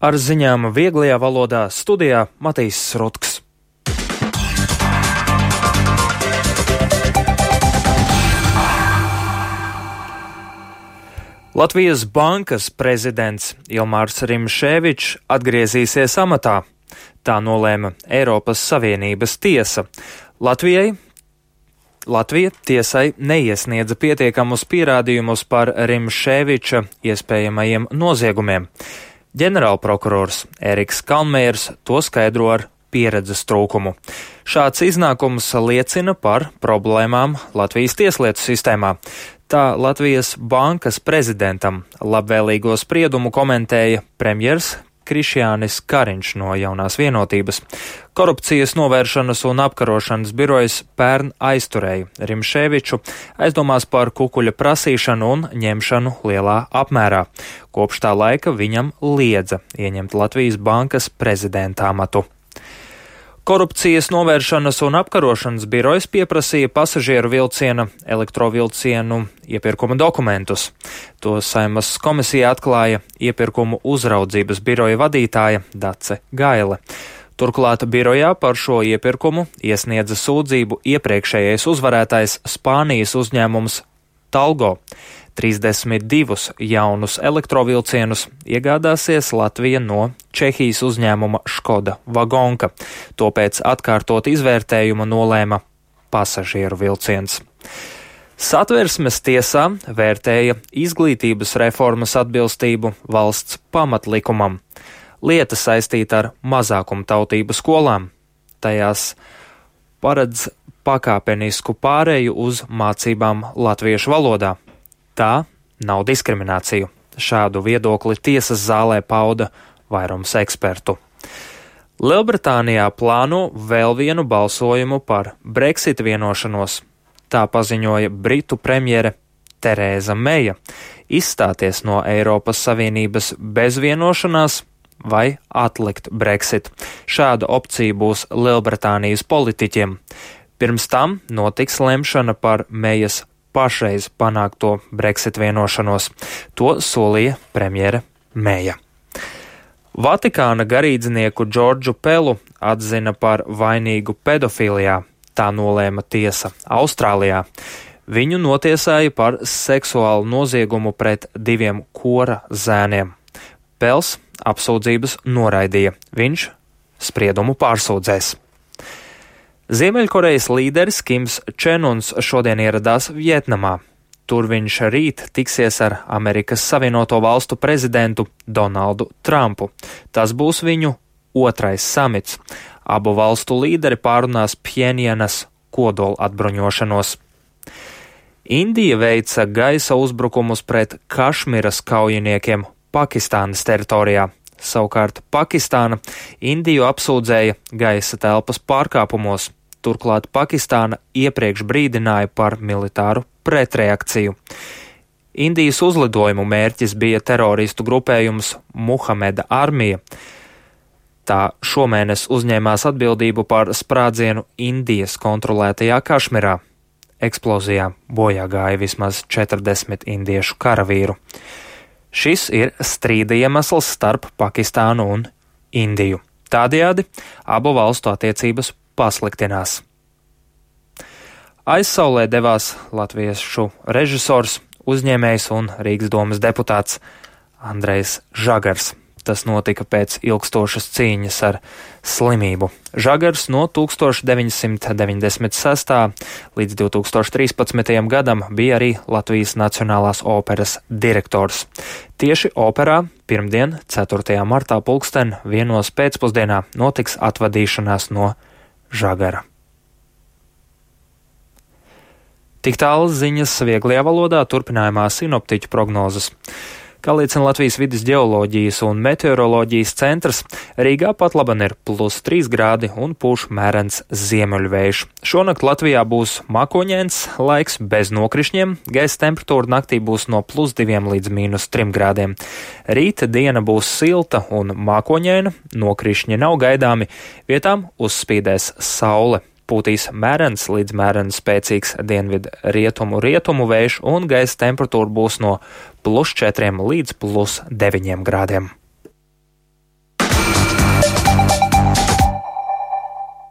Ar ziņām vieglajā valodā studijā Matīs Rutks. Latvijas bankas prezidents Ilmārs Rimšēvičs atgriezīsies amatā. Tā nolēma Eiropas Savienības tiesa. Latvija tiesai neiesniedza pietiekamus pierādījumus par Rimšēviča iespējamajiem noziegumiem. Ģenerālprokurors Eriks Kalnmējers to skaidro ar pieredzes trūkumu. Šāds iznākums liecina par problēmām Latvijas tieslietu sistēmā. Tā Latvijas bankas prezidentam labvēlīgo spriedumu komentēja premjers Krišjānis Kariņš no Jaunās Vienotības. Korupcijas novēršanas un apkarošanas birojas pērn aizturēja Rimšēviču aizdomās par kukuļa prasīšanu un ņemšanu lielā apmērā. Kopš tā laika viņam liedza ieņemt Latvijas bankas prezidenta amatu. Korupcijas novēršanas un apkarošanas birojas pieprasīja pasažieru vilciena elektrovilcienu iepirkuma dokumentus. To Saeimas komisija atklāja iepirkumu uzraudzības biroja vadītāja Dace Gaile. Turklāt birojā par šo iepirkumu iesniedza sūdzību iepriekšējais uzvarētājs Spānijas uzņēmums Talgo. 32 jaunus elektrovilcienus iegādāsies Latvija no Čehijas uzņēmuma Škoda Vagonka. To pēc atkārtot izvērtējuma nolēma pasažieru vilciens. Satversmes tiesā vērtēja izglītības reformas atbilstību valsts pamatlikumam. Lieta saistīta ar mazākumtautību skolām. Tajās paredz pakāpenisku pāreju uz mācībām latviešu valodā. Tā nav diskriminācija. Šādu viedokli tiesas zālē pauda vairums ekspertu. Lielbritānijā plāno vēl vienu balsojumu par Brexit vienošanos. Tā paziņoja Britu premjere Terēza Meija. Izstāties no Eiropas Savienības bez vienošanās vai atlikt Brexit. Šāda opcija būs Lielbritānijas politiķiem. Pirms tam notiks lemšana par Meijas pašreiz panākto Brexit vienošanos. To solīja premjere Meija. Vatikāna garīdznieku Džordžu Pelu atzina par vainīgu pedofilijā. Tā nolēma tiesa Austrālijā. Viņu notiesāja par seksuālu noziegumu pret 2 kora zēniem. Pels apsūdzības noraidīja. Viņš spriedumu pārsūdzēs. Ziemeļkorejas līderis Kims Čen Uns šodien ieradās Vjetnamā. Tur viņš rīt tiksies ar Amerikas Savienoto Valstu prezidentu Donaldu Trumpu. Tas būs viņu otrais samits. Abu valstu līderi pārunās Pjenjanas kodola atbruņošanos. Indija veica gaisa uzbrukumus pret Kašmiras kaujiniekiem Pakistānas teritorijā. Savukārt Pakistāna Indiju apsūdzēja gaisa telpas pārkāpumos. Turklāt Pakistāna iepriekš brīdināja par militāru pretreakciju. Indijas uzlidojumu mērķis bija teroristu grupējums Muhameda armija. Tā šomēnes uzņēmās atbildību par sprādzienu Indijas kontrolētajā Kašmirā. Eksplozijā bojā gāja vismaz 40 indiešu karavīru. Šis ir strīda iemesls starp Pakistānu un Indiju. Tādējādi abu valstu attiecības pasliktinās. Aizsaulē devās latviešu režisors, uzņēmējs un Rīgas domas deputāts Andrejs Žagars. Tas notika pēc ilgstošas cīņas ar slimību. Žagars no 1996. līdz 2013. gadam bija arī Latvijas Nacionālās operas direktors. Tieši operā pirmdien, 4. martā 1:00 pēcpusdienā notiks atvadīšanās no Žagara. Tik tālu ziņas vieglajā valodā, turpinājumā sinoptiķu prognozes. Kā liecina Latvijas vides ģeoloģijas un meteoroloģijas centrs, Rīgā patlaban ir +3 grādi un pūš mērens ziemeļvējš. Šonakt Latvijā būs mākoņains laiks bez nokrišņiem, gaisa temperatūra naktī būs no +2 līdz -3 grādiem. Rīta diena būs silta un mākoņaina, nokrišņi nav gaidāmi, vietām uzspīdēs saule. Pūtīs mērens līdz mērens spēcīgs dienvidu rietumu vējš un gaisa temperatūra būs no +4 līdz +9 grādiem.